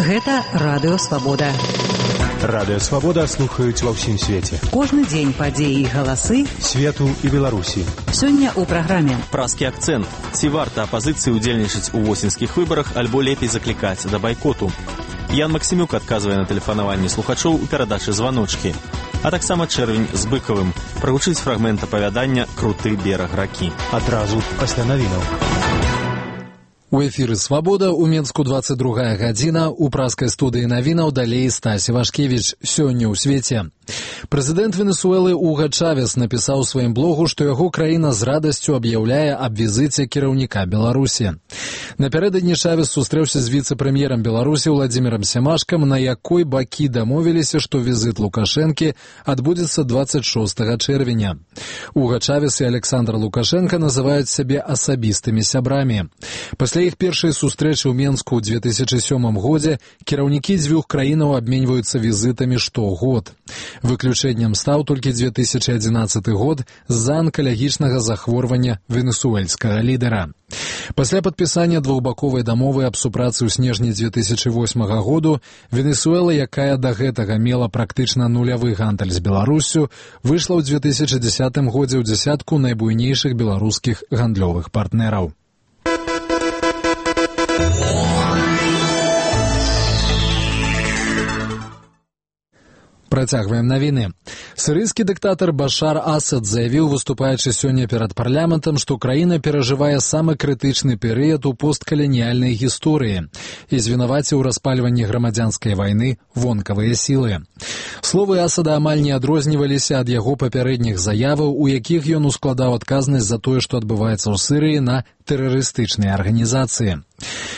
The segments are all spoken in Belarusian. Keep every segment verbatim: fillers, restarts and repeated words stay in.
Гэта Радыё Свабода. Радыё Свабода слухаюць ва ўсім свеце. Кожны дзень падзеі і галасы свету і Беларусі. Сёння ў праграме «Праскі акцэнт». Ці варта апазіцыі ўдзельнічаць у восеньскіх выбарах, альбо лепей заклікаць да байкоту? Ян Максімюк адказвае на тэлефанаванне слухачоў у перадачы «Званочкі». А таксама чэрвень з Быкавым. Прагучыць фрагмент апавядання «Круты бераг ракі». Адразу пасля навінаў. У эфіры «Свабода» у Менску двадцать другая гадзіна. У праскай студыі навінаў далей Стась Івашкевіч. Сёння ў свеце. Прэзідэнт Венесуэлы Уга Чавес напісаў у сваім блогу, што яго краіна з радасцю аб'яўляе аб візіце кіраўніка Беларусі. Напярэдадні Чавес сустрэўся з віцэ-прэм'ерам Беларусі Владзімірам Сямашкам, на якой бакі дамовіліся, што візіт Лукашэнкі адбудзецца двадцать шостага чэрвеня. Уга Чавес і Александр Лукашенко называюць сябе асабістымі сябрамі. Пасля іх першай сустрэчы ў Менску ў две тысячы сёмым годзе кіраўнікі дзвюх краінаў абменьваюцца візітамі штогод. Выключэннем стаў толькі две тысячы адзінаццаты год з-за анкалагічнага захворвання венесуэльскага лідара. Пасля падпісання двухбаковай дамовы аб супрацы ў снежні две тысячы восьмага году Венесуэла, якая да гэтага мела практычна нулявы гандаль з Беларуссю, выйшла ў две тысячы дзесятым годзе ў дзясятку найбуйнейшых беларускіх гандлёвых партнераў. Працягваем навіны. Сірыйскі дыктатар Башар Асад заявіў, выступаючы сёння перад парламентам, што краіна перажывае самы крытычны перыяд у посткаланіяльнай гісторыі і звінаваціў у распальванні грамадзянскай вайны вонкавыя сілы. Словы Асада амаль не адрозніваліся ад яго папярэдніх заяваў, у якіх ён ускладаў адказнасць за тое, што адбываецца ў Сірыі, на тэрарыстычныя арганізацыі.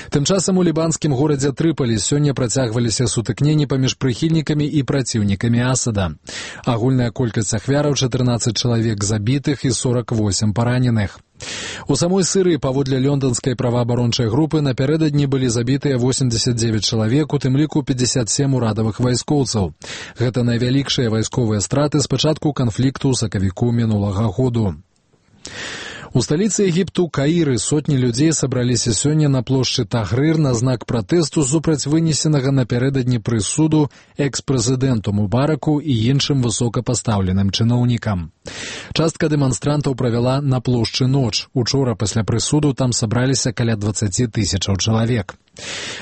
Тым часам у лібанскім горадзе Трыполі сёння працягваліся сутыкненні паміж прыхільнікамі і праціўнікамі Асада. Агульная колькасць ахвяраў чатырнаццаць чалавек забітых і сорок восемь параненых. У самой Сірыі, паводле лёнданскай праваабарончай групы, напярэдадні былі забітыя восемьдесят девять чалавек, у тым ліку пятьдесят семь урадавых вайскоўцаў. Гэта найвялікшыя вайсковыя страты з пачатку канфлікту ў сакавіку мінулага году. У сталіцы Егіпту Каіры сотні людзей сабраліся сёння на плошчы Тагрыр на знак пратэсту супраць вынесенага напярэдадні прысуду экс-прэзідэнту Мубараку і іншым высокапастаўленым чыноўнікам. Частка дэманстрантаў правяла на плошчы ноч. Учора пасля прысуду там сабраліся каля дваццаць тысячаў чалавек.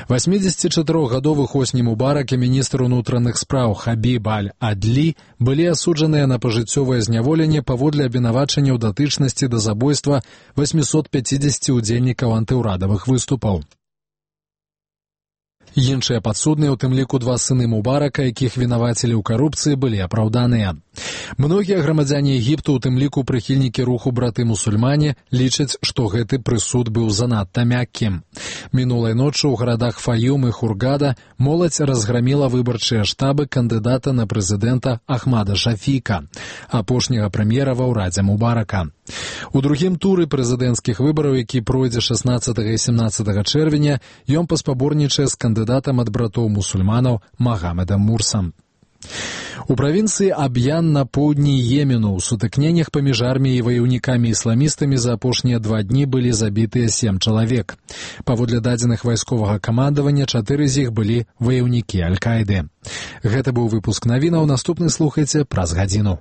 восьмідзесятчатырохгадовы Хосні Мубарак і міністр унутраных спраў Хабіб Аль-Адлі былі асуджаныя на пажыццёвае зняволенне паводле абвінавачання ў датычнасці да забойства восьмісот пяцідзесяці удзельнікаў антыўрадавых выступаў. Іншыя падсудныя, у тым ліку два сыны Мубарака, якіх вінавацілі ў карупцыі, былі апраўданыя. Многія грамадзяне Егіпту, у тым ліку прыхільнікі руху браты-мусульмане, лічаць, што гэты прысуд быў занадта мяккім. Мінулай ноччу ў гарадах Фаюм і Хургада моладзь разграміла выбарчыя штабы кандыдата на прэзідэнта Ахмада Шафіка, апошняга прэм'ера ва ўрадзе Мубарака. У другім туры прэзідэнцкіх выбараў, які пройдзе шаснаццатага і сямнаццатага чэрвеня, ён паспаборнічае з кандыдатам ад братоў-мусульманаў Магамедам Мурсам. У правінцыі Аб'ян на поўдні Йемену ў сутыкненнях паміж арміяй і ваяўнікамі-ісламістамі за апошнія два дні былі забітыя сем чалавек. Паводле дадзеных вайсковага камандавання, чатыры з іх былі ваяўнікі Аль-Каіды. Гэта быў выпуск навінаў. Наступны слухайце праз гадзіну.